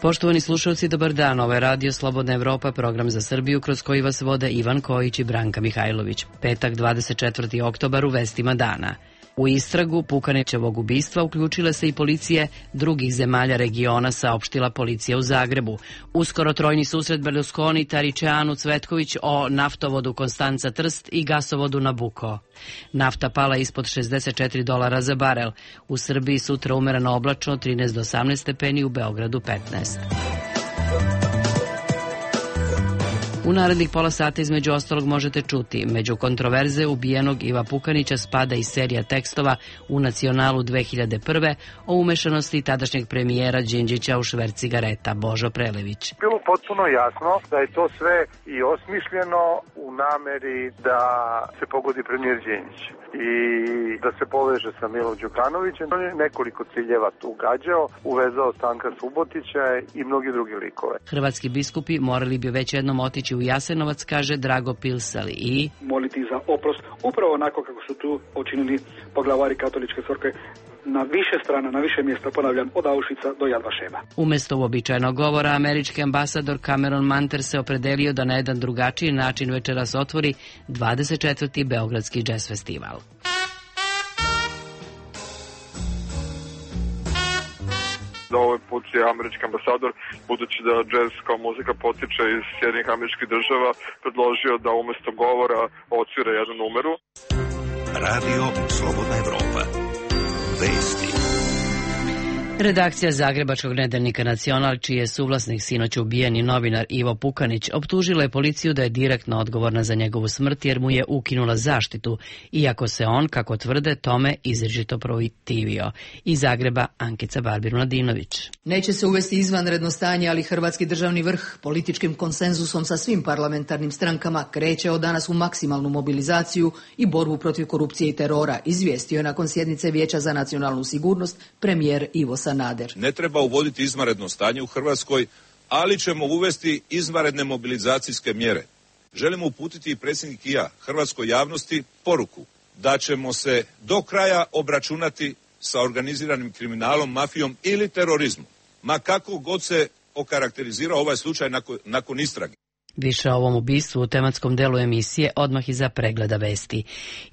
Poštovani slušalci, dobar dan. Ovo je Radio Slobodna Evropa, program za Srbiju kroz koji vas vode Ivan Kojić i Branka Mihajlović. Petak, 24. oktobar, u vestima dana. U istragu Pukanićevog ubistva uključile se i policije drugih zemalja regiona, saopštila policija u Zagrebu. Uskoro trojni susret Berlusconi, Taričeanu, Cvetković o naftovodu Konstanca Trst i gasovodu Nabucco. Nafta pala ispod $64 za barel. U Srbiji sutra umereno oblačno 13 do 18 stepeni, u Beogradu 15. U narednih pola sata između ostalog možete čuti: među kontroverze ubijenog Iva Pukanića spada i serija tekstova u Nacionalu 2001. o umešanosti tadašnjeg premijera Đinđića u šverc cigareta. Božo Prelević. Bilo potpuno jasno da je to sve i osmišljeno u nameri da se pogodi premijer Đinđić i da se poveže sa Milom Đukanovićem. On je nekoliko ciljeva tu gađao, uvezao Stanka Subotića i mnogi drugi likove. Hrvatski biskupi morali bi već jednom otići u Jasenovac, kaže Drago Pilsali, i moliti za oprost, upravo onako kako su tu učinili poglavari katoličke crkve na više strana, na više mjesta, ponavljam, od Auschwitza do Yad Vashema. Umesto uobičajenog govora, američki ambasador Cameron Manter se opredelio da na jedan drugačiji način večeras otvori 24. Beogradski džez festival. Ovaj put je američki ambasador, budući da džez kao muzika potiče iz Sjedinjenih američkih država, predložio da umesto govora odsvira jednu numeru. Radio Slobodna Evropa. Vesti. Redakcija zagrebačkog nedeljnika Nacional, čiji je suvlasnik sinoć ubijeni novinar Ivo Pukanić, optužila je policiju da je direktno odgovorna za njegovu smrt jer mu je ukinula zaštitu, iako se on, kako tvrde, tome izričito protivio. Iz Zagreba Ankica Barbir-Mladinović. Neće se uvesti izvanredno stanje, ali hrvatski državni vrh političkim konsenzusom sa svim parlamentarnim strankama kreće od danas u maksimalnu mobilizaciju i borbu protiv korupcije i terora, izvijestio je nakon sjednice Vijeća za nacionalnu sigurnost premijer Ivo Sanader. Ne treba uvoditi izvanredno stanje u Hrvatskoj, ali ćemo uvesti izvanredne mobilizacijske mjere. Želimo uputiti i predsjednik i ja hrvatskoj javnosti poruku da ćemo se do kraja obračunati sa organiziranim kriminalom, mafijom ili terorizmom, ma kako god se okarakterizirao ovaj slučaj nakon istrage. Više o ovom ubistvu u tematskom delu emisije odmah iza pregleda vesti.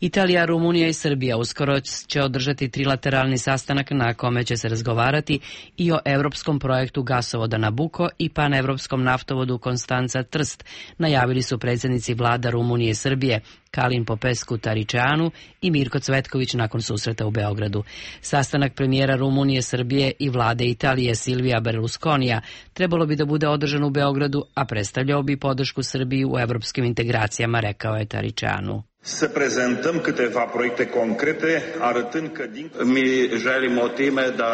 Italija, Rumunija i Srbija uskoro će održati trilateralni sastanak na kome će se razgovarati i o europskom projektu gasovoda Nabucco i panevropskom naftovodu Konstanca Trst, najavili su predsjednici vlada Rumunije i Srbije Kalin Popescu Taričeanu i Mirko Cvetković nakon susreta u Beogradu. Sastanak premijera Rumunije, Srbije i vlade Italije Silvija Berlusconija trebalo bi da bude održan u Beogradu, a predstavljao bi podršku Srbiji u evropskim integracijama, rekao je Taričeanu. Să prezentăm câteva proiecte concrete, arătând că mi želimo time da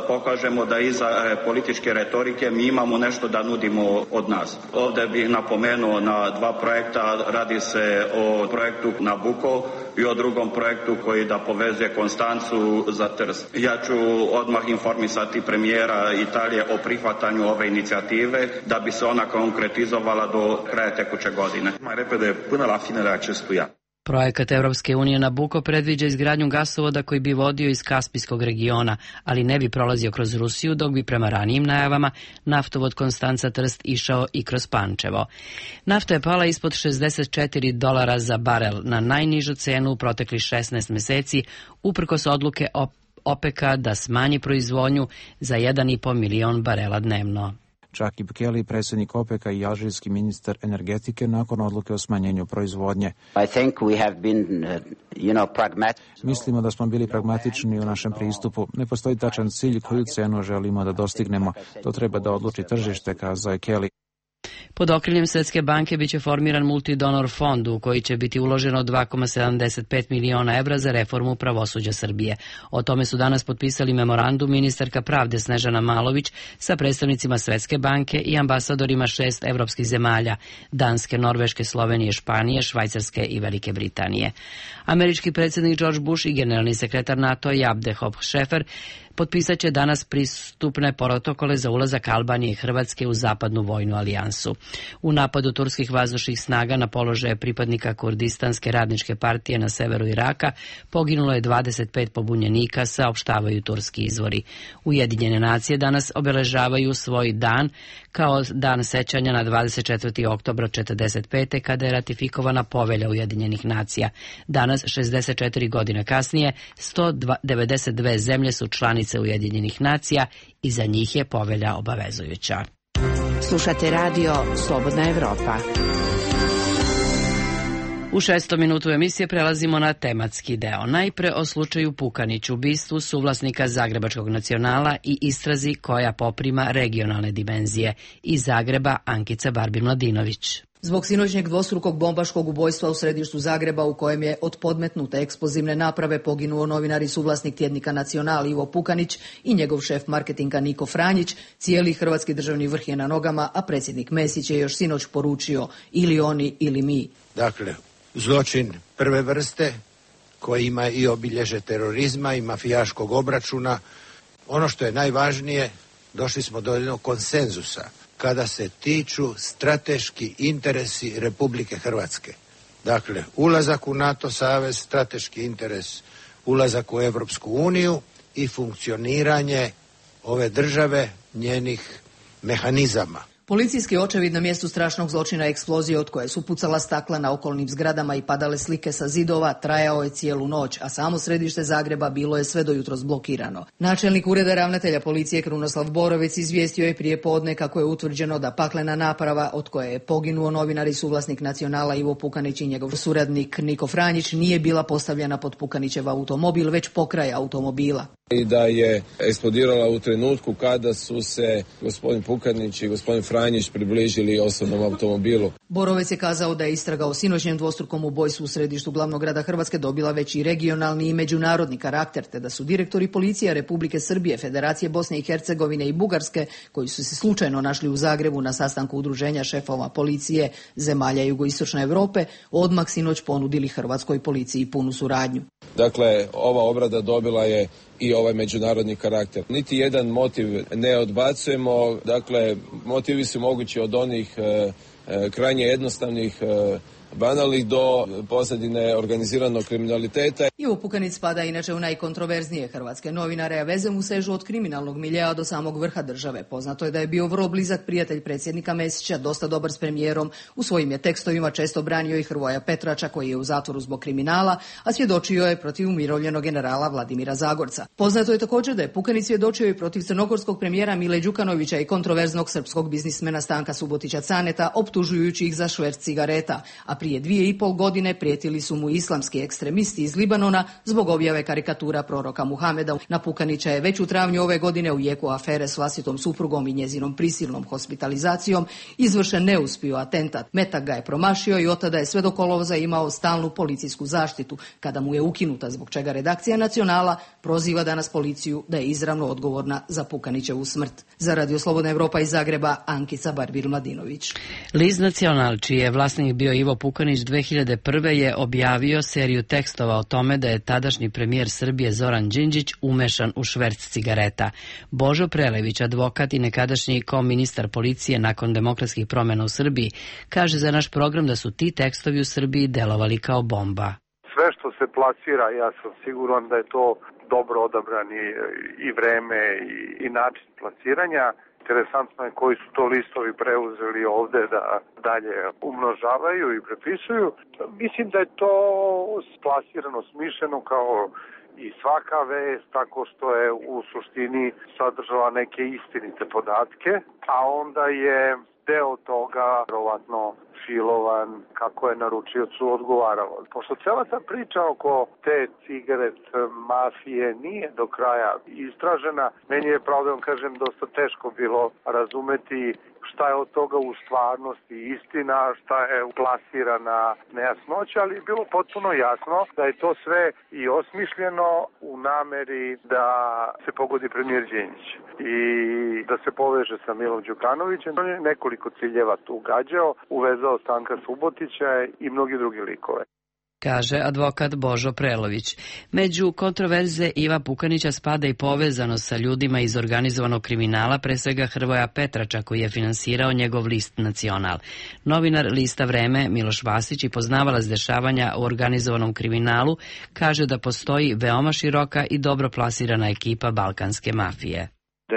pokažemo da iza političke retorike mi imamo nešto da nudimo od nas. Ovdje bih napomenuo na dva projekta, radi se o projektu Nabucco i o drugom projektu koji da povezuje Konstancu za Trst. Ja ću odmah informisati premijera Italije o prihvatanju ove inicijative da bi se ona konkretizovala do kraja tekuće godine. Mai repede, până la finele acestui an. Projekat Evropske unije Nabucco predviđa izgradnju gasovoda koji bi vodio iz Kaspijskog regiona, ali ne bi prolazio kroz Rusiju, dok bi prema ranijim najavama naftovod Konstanca Trst išao i kroz Pančevo. Nafta je pala ispod $64 za barel, na najnižu cenu u proteklih 16 meseci, uprkos odluke OPEC-a da smanji proizvodnju za 1,5 milion barela dnevno. Čak i Bukele, predsjednik OPEC-a i alžirski ministar energetike nakon odluke o smanjenju proizvodnje. Mislimo da smo bili pragmatični u našem pristupu. Ne postoji tačan cilj koju cenu želimo da dostignemo. To treba da odluči tržište, kazao je Kelly. Pod okriljem Svjetske banke biće formiran multidonor fond u koji će biti uloženo 2,75 miliona evra za reformu pravosuđa Srbije. O tome su danas potpisali memorandum ministarka pravde Snežana Malović sa predstavnicima Svjetske banke i ambasadorima 6 evropskih zemalja: Danske, Norveške, Slovenije, Španije, Švajcarske i Velike Britanije. Američki predsjednik George Bush i generalni sekretar NATO Abdehop Šefer Potpisat će danas pristupne protokole za ulazak Albanije i Hrvatske u zapadnu vojnu alijansu. U napadu turskih vazdušnih snaga na položaje pripadnika Kurdistanske radničke partije na severu Iraka poginulo je 25 pobunjenika, saopštavaju turski izvori. Ujedinjene nacije danas obeležavaju svoj dan kao dan sećanja na 24. oktobra 1945. kada je ratifikovana Povelja Ujedinjenih nacija. Danas, 64 godine kasnije, 192 zemlje su članice Ujedinjenih nacija i za njih je Povelja obavezujuća. Slušate radio Slobodna Evropa. U 6. minutu emisije prelazimo na tematski deo. Najpre o slučaju Pukanić, ubistvu suvlasnika Zagrebačkog Nacionala i istrazi koja poprima regionalne dimenzije. Iz Zagreba Ankica Barbin-Mladinović. Zbog sinoćnjeg dvostrukog bombaškog ubojstva u središtu Zagreba u kojem je od podmetnute eksplozivne naprave poginuo novinar i suvlasnik tjednika Nacional Ivo Pukanić i njegov šef marketinga Niko Franjić, cijeli hrvatski državni vrh je na nogama, a predsjednik Mesić je još sinoć poručio ili oni ili mi. Dakle, zločin prve vrste koji ima i obilježe terorizma i mafijaškog obračuna. Ono što je najvažnije, došli smo do jednog konsenzusa kada se tiču strateški interesi Republike Hrvatske. Dakle, ulazak u NATO savez, strateški interes, ulazak u Europsku uniju i funkcioniranje ove države, njenih mehanizama. Policijski očevid na mjestu strašnog zločina eksplozije od koje su pucala stakla na okolnim zgradama i padale slike sa zidova trajao je cijelu noć, a samo središte Zagreba bilo je sve do jutros blokirano. Načelnik ureda ravnatelja policije Krunoslav Borovec izvijestio je prije podne kako je utvrđeno da paklena naprava od koje je poginuo novinar i suvlasnik Nacionala Ivo Pukanić i njegov suradnik Niko Franjić nije bila postavljena pod Pukanićev automobil, već pokraj automobila. I da je eksplodirala u trenutku kada su se gospodin Pukanić i gospodin Franjić približili osobnom automobilu. Borovec je kazao da je istraga o sinoćnjem dvostrukom ubojstvu u središtu glavnog grada Hrvatske dobila već i regionalni i međunarodni karakter, te da su direktori policije Republike Srbije, Federacije Bosne i Hercegovine i Bugarske, koji su se slučajno našli u Zagrebu na sastanku udruženja šefova policije zemalja jugoistočne Europe, odmah sinoć ponudili hrvatskoj policiji punu suradnju. Dakle, ova obrada dobila je i ovaj međunarodni karakter. Niti jedan motiv ne odbacujemo, dakle, motivi su mogući od onih krajnje jednostavnih, banalnih do pozadine organiziranog kriminaliteta. Ivo Pukanić spada inače u najkontroverznije hrvatske novinare, a veze mu sežu od kriminalnog miljea do samog vrha države. Poznato je da je bio vrlo blizak prijatelj predsjednika Mesića, dosta dobar s premijerom, u svojim je tekstovima često branio i Hrvoja Petrača koji je u zatvoru zbog kriminala, a svjedočio je protiv umirovljenog generala Vladimira Zagorca. Poznato je također da je Pukanić svjedočio i protiv crnogorskog premijera Mile Đukanovića i kontroverznog srpskog biznismena Stanka Subotića Caneta, optužujući ih za šverc cigareta, a prije 2,5 godine prijetili su mu islamski ekstremisti iz Libanona zbog objave karikatura proroka Muhameda. Na Pukanića je već u travnju ove godine u jeku afere s vlastitom suprugom i njezinom prisilnom hospitalizacijom izvršen neuspio atentat. Metak ga je promašio i od tada je sve do kolovoza imao stalnu policijsku zaštitu, kada mu je ukinuta, zbog čega redakcija Nacionala proziva danas policiju da je izravno odgovorna za Pukanićevu smrt. Za Radio Slobodna Evropa iz Zagreba, Ankica Barbin-Mladinović. List Nacional, čiji je vlasnik bio Ivo Pukanić, 2001. je objavio seriju tekstova o tome da je tadašnji premijer Srbije Zoran Đinđić umešan u šverc cigareta. Božo Prelević, advokat i nekadašnji koministar policije nakon demokratskih promjena u Srbiji, kaže za naš program da su ti tekstovi u Srbiji delovali kao bomba. Sve što se plasira, ja sam siguran da je to dobro odabrani i vreme i način plasiranja. Interesantno je koji su to listovi preuzeli ovde da dalje umnožavaju i prepisuju. Mislim da je to splasirano, smišljeno kao i svaka vest, tako što je u suštini sadržala neke istinite podatke, a onda je deo toga vjerovatno filovan kako je naručiocu odgovaralo. Pošto cela ta priča oko te cigaret mafije nije do kraja istražena, meni je, pravo da vam kažem, dosta teško bilo razumeti šta je od toga u stvarnosti istina, šta je plasirana nejasnoća, ali je bilo potpuno jasno da je to sve i osmišljeno u nameri da se pogodi premijer Đinđić i da se poveže sa Milom Đukanovićem. On je nekoliko ciljeva tu gađao, uvezao Stanka Subotića i mnogi drugi likove. kaže advokat Božo Prelović. Među kontroverze Iva Pukanića spada i povezanost sa ljudima iz organizovanog kriminala, pre svega Hrvoja Petrača, koji je finansirao njegov list Nacional. Novinar lista Vreme Miloš Vasić i poznavalac dešavanja u organizovanom kriminalu kaže da postoji veoma široka i dobro plasirana ekipa balkanske mafije. Da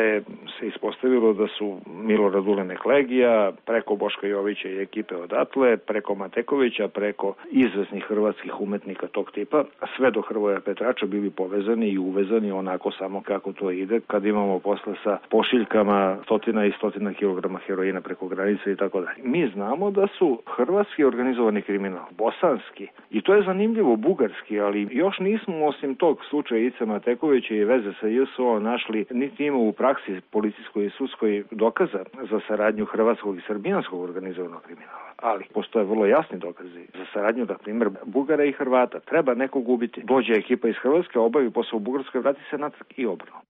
se ispostavilo da su Milorad Ulenek Legija, preko Boška Jovića i ekipe odatle, preko Matekovića, preko izvesnih hrvatskih umetnika tog tipa, sve do Hrvoja Petrača bili povezani i uvezani onako samo kako to ide, kad imamo posle sa pošiljkama stotina i stotina kilograma heroina preko granice i tako dalje. Mi znamo da su hrvatski organizovani kriminal, bosanski, i to je zanimljivo, bugarski, ali još nismo osim tog slučaja Ice Matekovića i veze sa JSO našli, niti ima u praksi policijskoj i sudskoj dokaza za saradnju hrvatskog i srbijanskog organizovanog kriminala. Ali postoje vrlo jasni dokazi za saradnju, na primjer, Bugara i Hrvata. Treba nekog ubiti. Dođe ekipa iz Hrvatske, obavi posao u Bugarskoj, vrati se natrag i obrnuto.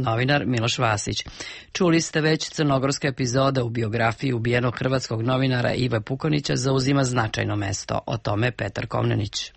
Novinar Miloš Vasić. Čuli ste već, crnogorska epizoda u biografiji ubijenog hrvatskog novinara Ive Pukanića zauzima značajno mesto. O tome Petar Komnenić.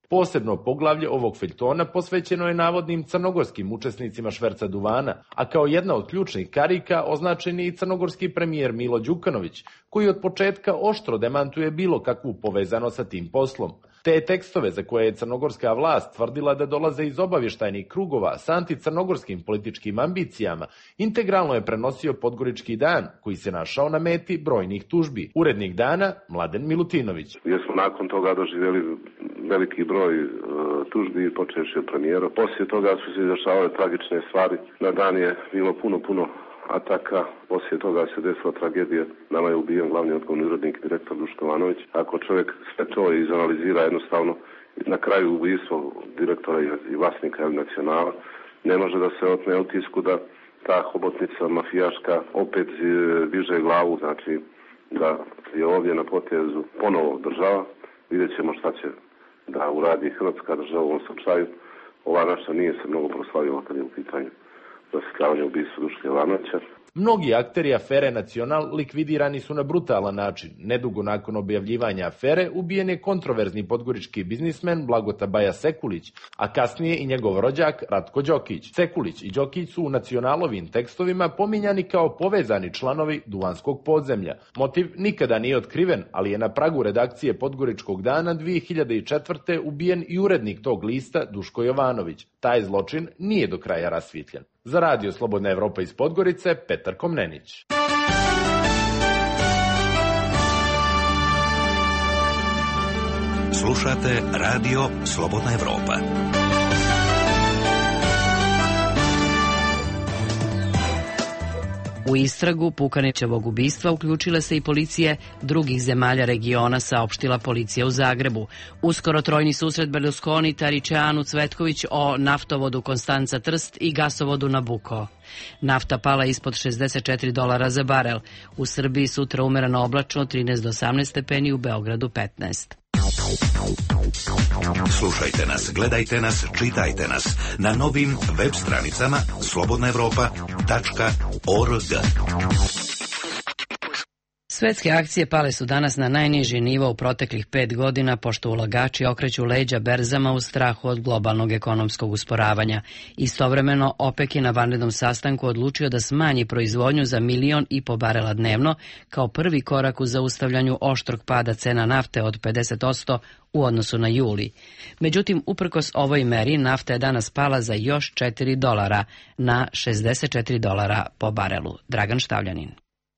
Posebno poglavlje ovog feljtona posvećeno je navodnim crnogorskim učesnicima šverca duvana, a kao jedna od ključnih karika označen je i crnogorski premijer Milo Đukanović, koji od početka oštro demantuje bilo kakvu povezanost sa tim poslom. Te tekstove za koje je crnogorska vlast tvrdila da dolaze iz obavještajnih krugova s anticrnogorskim političkim ambicijama, integralno je prenosio Podgorički dan, koji se našao na meti brojnih tužbi. Urednik dana Mladen Milutinović. Gdje smo nakon toga doživjeli veliki broj tužbi, počevši od premijera. Poslije toga su se izdešavale tragične stvari. Na dan je bilo puno ataka. Poslije toga se desila tragedija. Nama je ubijen glavni odgovorni urednik, direktor Duško Ivanović. Ako čovjek sve to izanalizira jednostavno, na kraju ubijstvo direktora i vlasnika Nacionala, ne može da se otme utisku da ta hobotnica mafijaška opet diže glavu, znači da je ovdje na potezu ponovo država. Vidjet ćemo šta će da uradi hrvatska država u ovom slučaju. Ova naša nije se mnogo proslavila kad je u pitanju rasvjetljavanje ubistva Duška Ivanovića. Mnogi akteri afere Nacional likvidirani su na brutalan način. Nedugo nakon objavljivanja afere ubijen je kontroverzni podgorički biznismen Blagota Baja Sekulić, a kasnije i njegov rođak Ratko Đokić. Sekulić i Đokić su u Nacionalovim tekstovima pominjani kao povezani članovi duvanskog podzemlja. Motiv nikada nije otkriven, ali je na pragu redakcije Podgoričkog dana 2004. ubijen i urednik tog lista Duško Jovanović. Taj zločin nije do kraja rasvijetljen. Za Radio Slobodna Evropa iz Podgorice, Petar Komnenić. Slušate Radio Slobodna Evropa. U istragu Pukanićevog ubistva uključile se i policije drugih zemalja regiona, saopštila policija u Zagrebu. Uskoro trojni susret Berlusconi, Taričeanu, Cvetković o naftovodu Konstanca Trst i gasovodu Nabucco. Nafta pala ispod $64 za barel. U Srbiji sutra umereno oblačno 13 do 18 stepeni, u Beogradu 15. Slušajte nas, gledajte nas, čitajte nas na novim web stranicama slobodnaevropa.org. Svetske akcije pale su danas na najniži nivo u proteklih 5 godina, pošto ulagači okreću leđa berzama u strahu od globalnog ekonomskog usporavanja. Istovremeno, OPEC je na vanrednom sastanku odlučio da smanji proizvodnju za 1,5 miliona barela dnevno, kao prvi korak u zaustavljanju oštrog pada cena nafte od 50% u odnosu na juli. Međutim, uprkos ovoj meri, nafta je danas pala za još $4 na $64 po barelu. Dragan Štavljanin.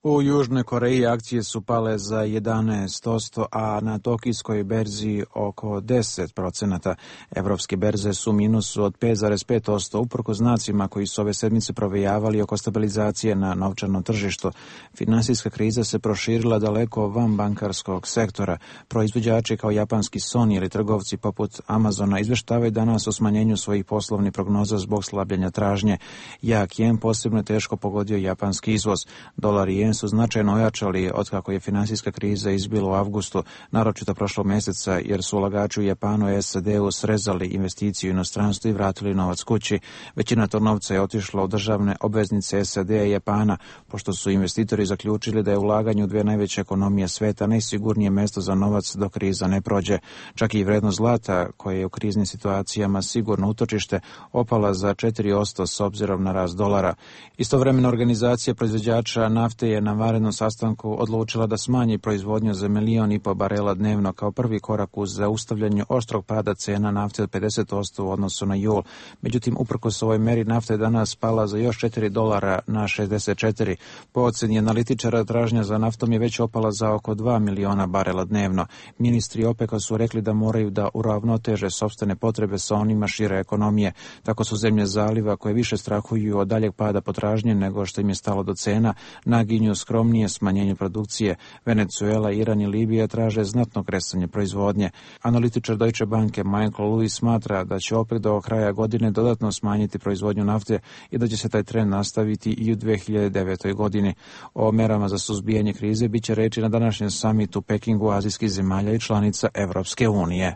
U Južnoj Koreji akcije su pale za 11%, a na tokijskoj berzi oko 10%. Evropske berze su u minusu od 5,5%, uprko znacima koji su ove sedmice provejavali oko stabilizacije na novčanom tržištu. Finansijska kriza se proširila daleko van bankarskog sektora. Proizvođači kao japanski Sony ili trgovci poput Amazona izveštavaju danas o smanjenju svojih poslovnih prognoza zbog slabljenja tražnje. Jak jen posebno teško pogodio japanski izvoz. Dolar i jen su značajno ojačali otkako je finansijska kriza izbila u avgustu, naročito prošlog mjeseca, jer su ulagači u Japanu i SAD-u srezali investiciju u inostranstvu i vratili novac kući. Većina tog novca je otišla u državne obveznice SAD-a i Japana, pošto su investitori zaključili da je ulaganje u dvije najveće ekonomije sveta najsigurnije mjesto za novac dok kriza ne prođe. Čak i vrednost zlata, koje je u kriznim situacijama sigurno utočište, opala za 4% s obzirom na rast dolara. Istovremeno organizacija proizvođača nafte je na vanrednom sastanku odlučila da smanji proizvodnju za 1,5 milijuna barela dnevno kao prvi korak uz zaustavljanje oštrog pada cena nafte od 50% u odnosu na jul. Međutim, uprkos ovoj meri nafta je danas pala za još $4 na 64. Po ocjeni analitičara, tražnja za naftom je već opala za oko 2 miliona barela dnevno. Ministri OPEC-a su rekli da moraju da uravnoteže sopstvene potrebe sa onima šire ekonomije. Tako su zemlje zaliva koje više strahuju od daljeg pada potražnje nego što im je stalo do cena, naginju skromnije smanjenje produkcije. Venezuela, Iran i Libija traže znatno kresanje proizvodnje. Analitičar Deutsche Banke Michael Lewis smatra da će OPEC do kraja godine dodatno smanjiti proizvodnju nafte i da će se taj trend nastaviti i u 2009. godini. O merama za suzbijanje krize biće reči na današnjem samitu u Pekingu azijskih zemalja i članica Evropske unije.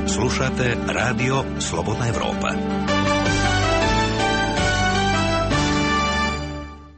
Slušate Radio Slobodna Evropa.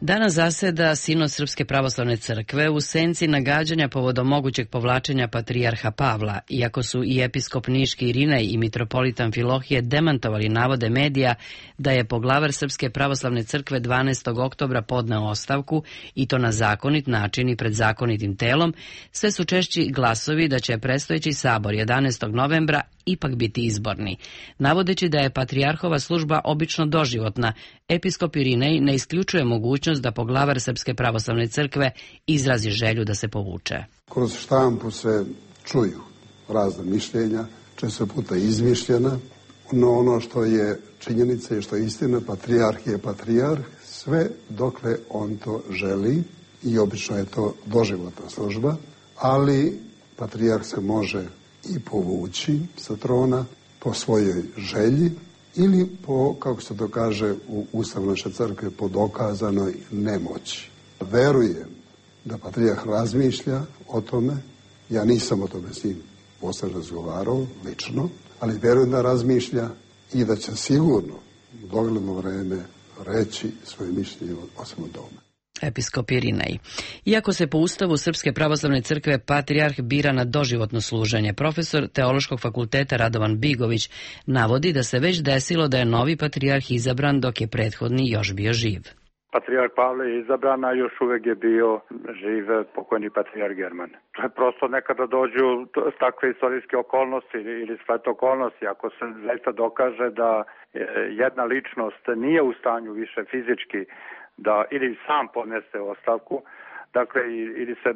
Danas zaseda Sinod Srpske pravoslavne crkve u senci nagađanja povodom mogućeg povlačenja patrijarha Pavla, iako su i episkop Niški Irinej i mitropolitan Filohije demantovali navode medija da je poglavar Srpske pravoslavne crkve 12. oktobra podneo ostavku i to na zakonit način i pred zakonitim telom, sve su češći glasovi da će predstojeći sabor 11. novembra ipak biti izborni. Navodeći da je patrijarhova služba obično doživotna, episkop Irinej ne isključuje mogućnost da poglavar Srpske pravoslavne crkve izrazi želju da se povuče. Kroz štampu se čuju razna mišljenja, često puta izmišljena, no ono što je činjenica i što je istina, patrijarh je patrijarh, sve dokle on to želi i obično je to doživotna služba, ali patrijarh se može i povući sa trona po svojoj želji ili po, kako se to kaže u Ustavu naše crkve, po dokazanoj nemoći. Verujem da patrijarh razmišlja o tome, ja nisam o tome s njim posle razgovarao, lično, ali verujem da razmišlja i da će sigurno u dogledno vreme reći svoje mišljenje o svemu tome. Episkop Irinej. Iako se po Ustavu Srpske pravoslavne crkve patrijarh bira na doživotno služenje, profesor Teološkog fakulteta Radovan Bigović navodi da se već desilo da je novi patrijarh izabran dok je prethodni još bio živ. Patrijarh Pavle je izabran, a još uvek je bio živ pokojni patrijarh German. To je prosto nekada dođu takve istorijske okolnosti ili svet okolnosti. Ako se zaista dokaže da jedna ličnost nije u stanju više fizički da ili sam podnese ostavku, dakle ili se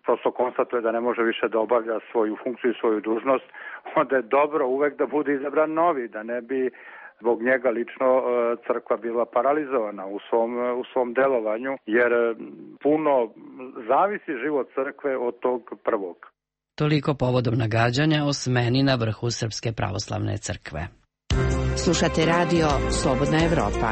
prosto konstatuje da ne može više da obavlja svoju funkciju i svoju dužnost, onda je dobro uvek da bude izabran novi, da ne bi zbog njega lično crkva bila paralizovana u svom delovanju, jer puno zavisi život crkve od tog prvog. Toliko povodom nagađanja o smeni na vrhu Srpske pravoslavne crkve. Slušate radio Slobodna Evropa.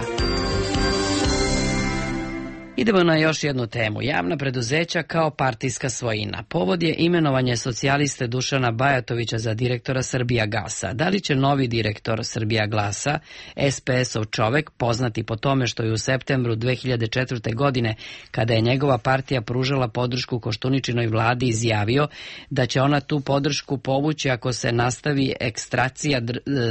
Idemo na još jednu temu. Javna preduzeća kao partijska svojina. Povod je imenovanje socijaliste Dušana Bajatovića za direktora Srbijagasa. Da li će novi direktor Srbijagasa, SPS-ov čovek, poznati po tome što je u septembru 2004. godine, kada je njegova partija pružala podršku Koštuničinoj vladi, izjavio da će ona tu podršku povući ako se nastavi ekstracija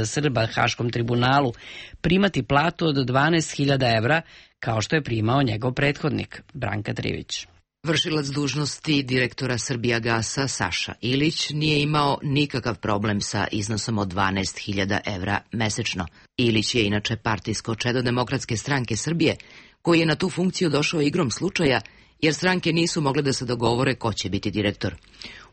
Srba Haškom tribunalu, primati platu od 12.000 evra, kao što je primao njegov prethodnik, Branka Trivić. Vršilac dužnosti direktora Srbijagasa Saša Ilić nije imao nikakav problem sa iznosom od 12.000 evra mesečno. Ilić je inače partijsko čedo Demokratske stranke Srbije, koji je na tu funkciju došao igrom slučaja, jer stranke nisu mogle da se dogovore ko će biti direktor.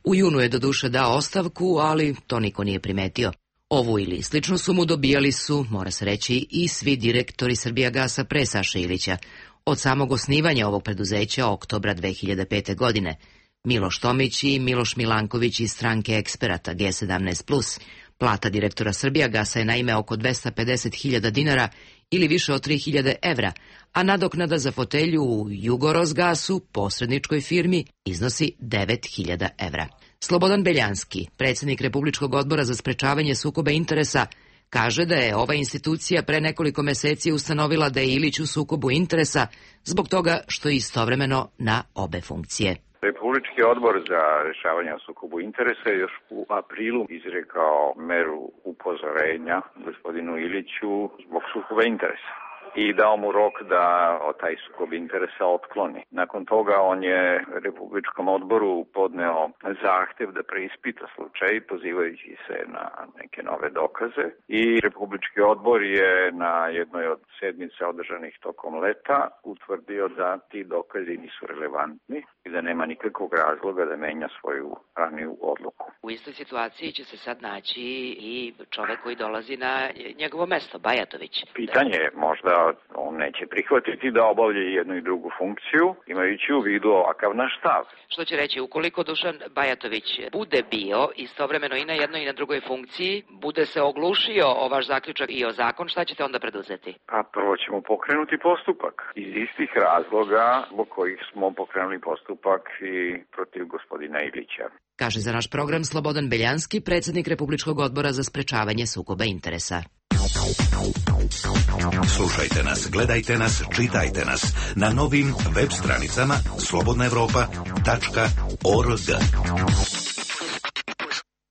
U junu je doduše dao ostavku, ali to niko nije primetio. Ovu ili sličnu sumu dobijali su, mora se reći, i svi direktori Srbijagasa pre Saše Ilića, od samog osnivanja ovog preduzeća oktobra 2005. godine. Miloš Tomić i Miloš Milanković iz stranke eksperata G17+, Plata direktora Srbijagasa je naime oko 250.000 dinara ili više od 3.000 evra, a nadoknada za fotelju u Jugorosgasu, posredničkoj firmi, iznosi 9.000 evra. Slobodan Beljanski, predsjednik Republičkog odbora za sprečavanje sukoba interesa, kaže da je ova institucija pre nekoliko meseci ustanovila da je Ilić u sukobu interesa zbog toga što je istovremeno na obe funkcije. Republički odbor za rješavanje o sukobu interesa je još u aprilu izrekao meru upozorenja gospodinu Iliću zbog sukoba interesa i dao mu rok da taj sukob interesa otkloni. Nakon toga on je Republičkom odboru podneo zahtev da preispita slučaj pozivajući se na neke nove dokaze i Republički odbor je na jednoj od sedmica održanih tokom leta utvrdio da ti dokazi nisu relevantni i da nema nikakvog razloga da menja svoju raniju odluku. U istoj situaciji će se sad naći i čovek koji dolazi na njegovo mesto, Bajatović. Pitanje je možda on neće prihvatiti da obavlja jednu i drugu funkciju, imajući u vidu ovakav naš stav. Što će reći, ukoliko Dušan Bajatović bude bio istovremeno i na jednoj i na drugoj funkciji, bude se oglušio o vaš zaključak i o zakon, šta ćete onda preduzeti? Pa prvo ćemo pokrenuti postupak. Iz istih razloga zbog kojih smo pokrenuli postupak i protiv gospodina Ilića. Kaže za naš program Slobodan Beljanski, predsjednik Republičkog odbora za sprečavanje sukoba interesa. Slušajte nas, gledajte nas, čitajte nas na novim web stranicama slobodnaevropa.org.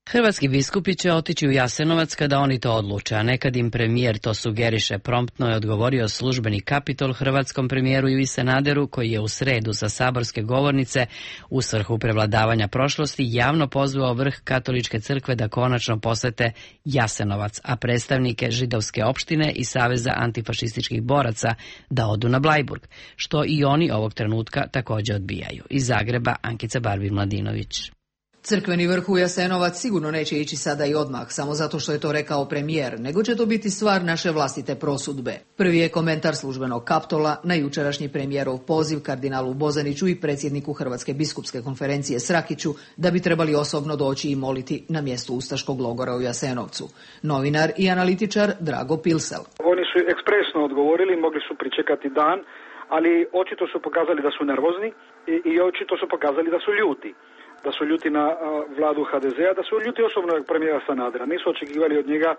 Hrvatski biskupi će otići u Jasenovac kada oni to odluče, a nekad im premijer to sugeriše. Promptno je odgovorio službeni Kapitol hrvatskom premijeru Ivi Sanaderu, koji je u sredu sa saborske govornice u svrhu prevladavanja prošlosti javno pozvao vrh Katoličke crkve da konačno posete Jasenovac, a predstavnike židovske opštine i Saveza antifašističkih boraca da odu na Blajburg, što i oni ovog trenutka također odbijaju. Iz Zagreba Ankica Barbin-Mladinović. Crkveni vrh u Jasenovac sigurno neće ići sada i odmah, samo zato što je to rekao premijer, nego će to biti stvar naše vlastite prosudbe. Prvi je komentar službenog Kaptola na jučerašnji premijerov poziv kardinalu Bozaniću i predsjedniku Hrvatske biskupske konferencije Srakiću da bi trebali osobno doći i moliti na mjestu ustaškog logora u Jasenovcu. Novinar i analitičar Drago Pilsel. Oni su ekspresno odgovorili, mogli su pričekati dan, ali očito su pokazali da su nervozni i očito su pokazali da su ljuti. Da su ljuti na vladu HDZ-a, da su ljuti osobno premijera Sanadera. Nisu očekivali od njega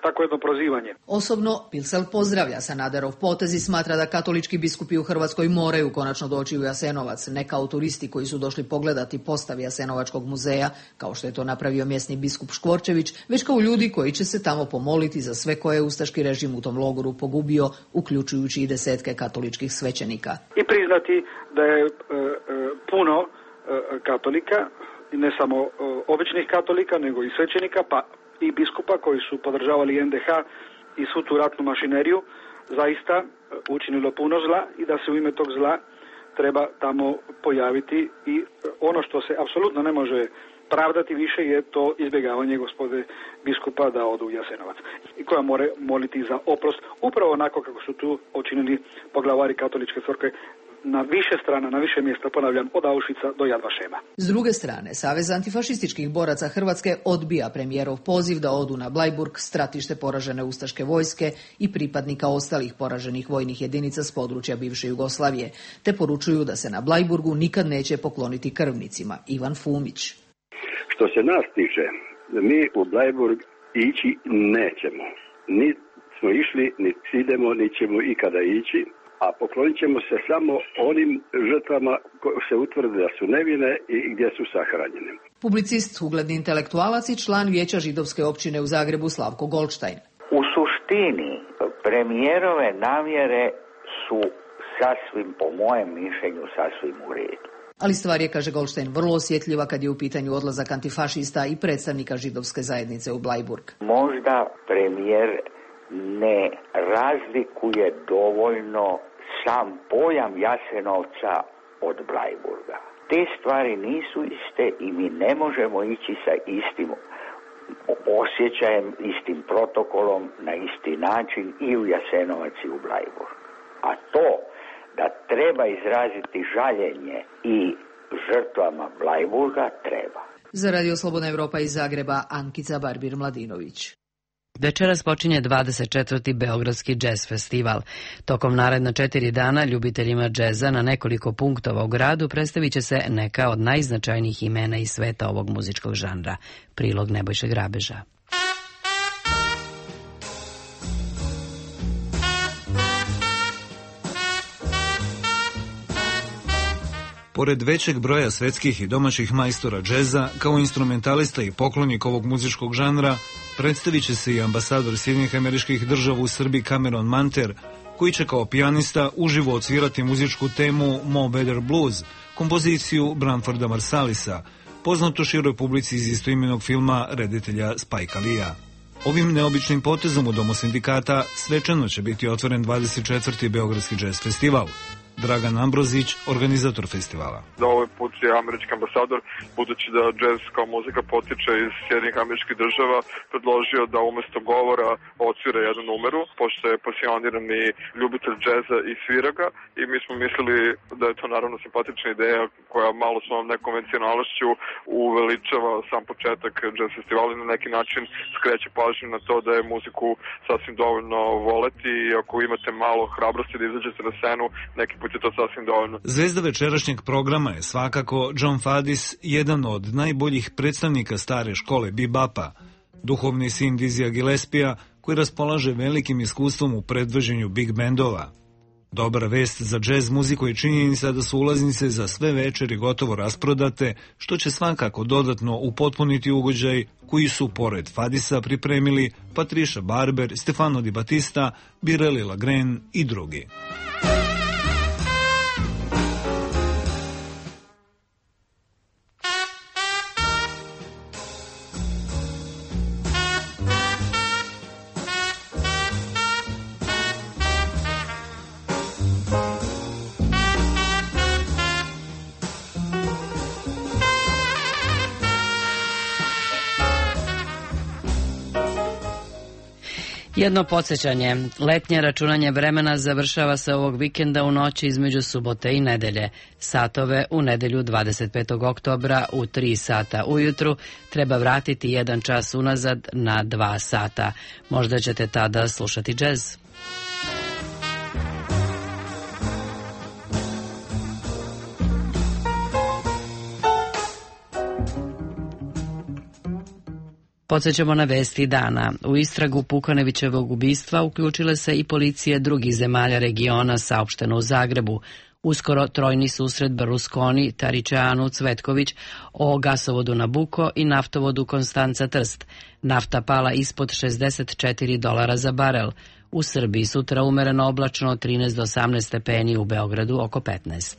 tako jedno prozivanje. Osobno Pilsel pozdravlja Sanaderov potez i smatra da katolički biskupi u Hrvatskoj moraju konačno doći u Jasenovac, ne kao turisti koji su došli pogledati postav Jasenovačkog muzeja, kao što je to napravio mjesni biskup Škvorčević, već kao ljudi koji će se tamo pomoliti za sve koje je ustaški režim u tom logoru pogubio, uključujući i desetke katoličkih svećenika. I priznati da je puno katolika, ne samo običnih katolika, nego i svećenika, pa i biskupa koji su podržavali NDH i svu tu ratnu mašineriju, zaista učinilo puno zla i da se u ime tog zla treba tamo pojaviti i ono što se apsolutno ne može pravdati više je to izbjegavanje gospode biskupa da odu u Jasenovac i koja mora moliti za oprost, upravo onako kako su tu učinili poglavari katoličke crkve na više strana, na više mjesta, ponavljam, od Auschwitza do Yad Vashema. S druge strane, Savez antifašističkih boraca Hrvatske odbija premijerov poziv da odu na Blajburg, stratište poražene ustaške vojske i pripadnika ostalih poraženih vojnih jedinica s područja bivše Jugoslavije, te poručuju da se na Blajburgu nikad neće pokloniti krvnicima. Ivan Fumić. Što se nas tiče, mi u Blajburg ići nećemo. Ni smo išli, ni idemo, ni ćemo ikada ići. A poklonit ćemo se samo onim žrtvama koje se utvrde da su nevine i gdje su sahranjene. Publicist, ugledni intelektualac i član Vijeća židovske općine u Zagrebu Slavko Goldstein. U suštini premijerove namjere su sasvim, po mojem mišljenju, sasvim u redu. Ali stvar je, kaže Goldstein, vrlo osjetljiva kad je u pitanju odlazak antifašista i predstavnika židovske zajednice u Blajburg. Možda premijer ne razlikuje dovoljno sam pojam Jasenovca od Blajburga. Te stvari nisu iste i mi ne možemo ići sa istim osjećajem, istim protokolom, na isti način i u Jasenovac i u Blajburg. A to da treba izraziti žaljenje i žrtvama Blajburga treba. Za Radio Slobodna Evropa iz Zagreba, Ankica Barbir-Mladinović. Večeras počinje 24. Beogradski džez festival. Tokom naredna 4 dana ljubiteljima džeza na nekoliko punktova u gradu predstavit će se neka od najznačajnijih imena iz sveta ovog muzičkog žanra. Prilog Nebojše Grabeža. Pored većeg broja svetskih i domaćih majstora džeza, kao instrumentalista i poklonik ovog muzičkog žanra, predstavit će se i ambasador Sjedinjenih Američkih Država u Srbiji Cameron Manter, koji će kao pijanista uživo odsvirati muzičku temu Mo Better Blues, kompoziciju Branforda Marsalisa, poznatu široj publici iz istoimenog filma reditelja Spike Leea. Ovim neobičnim potezom u Domu sindikata svečano će biti otvoren 24. Beogradski džez festival. Dragan Ambrozić, organizator festivala. Da ovaj put je američki ambasador, budući da džez kao muzika potiče iz Sjedinjenih Američkih Država, predložio da umesto govora odsvira jednu numeru, pošto je pasionirani ljubitelj džeza i svira ga, i mi smo mislili da je to naravno simpatična ideja koja malo svojom nekonvencionalnošću uveličava sam početak džez festivala i na neki način skreće pažnju na to da je muziku sasvim dovoljno voleti i ako imate malo hrabrosti da izađete na scenu, neki put je to sasvim dovoljno. Zvezda večerašnjeg programa je svakako John Fadis, jedan od najboljih predstavnika stare škole bebapa, duhovni sin Dizija Gillespija, koji raspolaže velikim iskustvom u predvođenju big bandova. Dobra vest za džez muziku je činjenica da su ulaznice za sve večeri gotovo rasprodate, što će svakako dodatno upotpuniti ugođaj koji su pored Fadisa pripremili Patricia Barber, Stefano Di Battista, Birelli Lagren i drugi. Jedno podsjećanje, letnje računanje vremena završava se ovog vikenda u noći između subote i nedelje. Satove u nedelju 25. oktobra u 3 sata ujutru treba vratiti 1 čas unazad na 2 sata. Možda ćete tada slušati džez. Podsjećamo na vesti dana. U istragu Pukanevićevog ubistva uključile se i policije drugih zemalja regiona, saopšteno u Zagrebu. Uskoro trojni susret Berlusconi, Taričanu, Cvetković o gasovodu Nabuko i naftovodu Konstanca Trst. Nafta pala ispod $64 za barel. U Srbiji sutra umereno oblačno 13 do 18 stepeni, u Beogradu oko 15.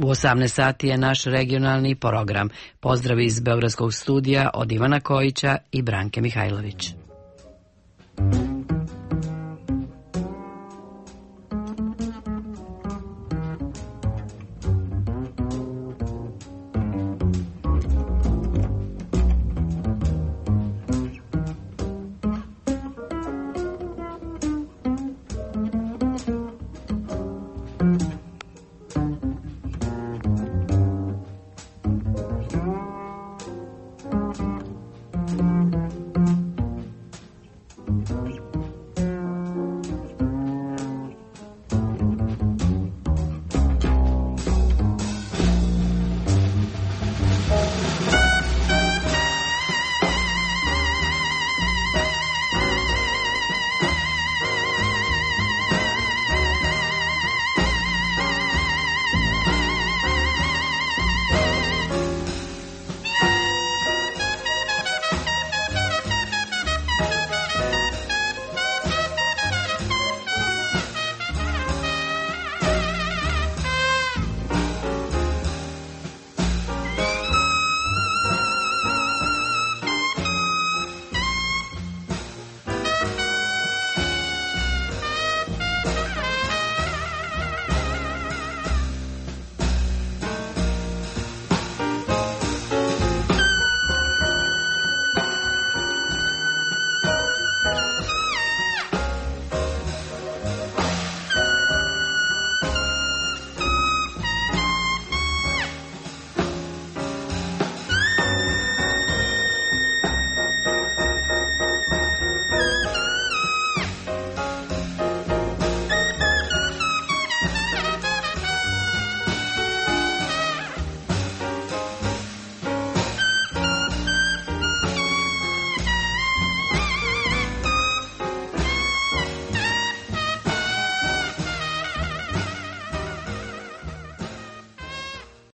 U 18 sati je naš regionalni program. Pozdrav iz Beogradskog studija od Ivana Kojića i Branke Mihajlović.